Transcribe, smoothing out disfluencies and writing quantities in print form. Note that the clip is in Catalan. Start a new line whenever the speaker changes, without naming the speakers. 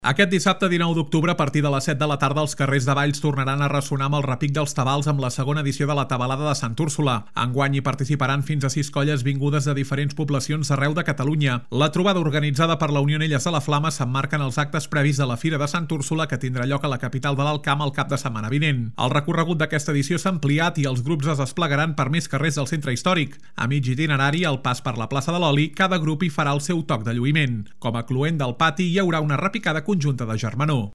Aquest dissabte 19 d'octubre, a partir de les 7 de la tarda, els carrers de Valls tornaran a ressonar amb el repic dels tabals amb la segona edició de la Tabalada de Sant Úrsula. Enguany hi participaran fins a 6 colles vingudes de diferents poblacions d'arreu de Catalunya. La trobada organitzada per la Unió Anelles de la Flama s'emmarca en els actes previs de la Fira de Sant Úrsula, que tindrà lloc a la capital de l'Alt Camp el cap de setmana vinent. El recorregut d'aquesta edició s'ha ampliat i els grups es desplegaran per més carrers del centre històric. A mig itinerari, al pas per la plaça de l'Oli, cada grup hi farà el seu toc de lluïment. Com a cloent del pati, hi haurà una repicada conjunta de germanor.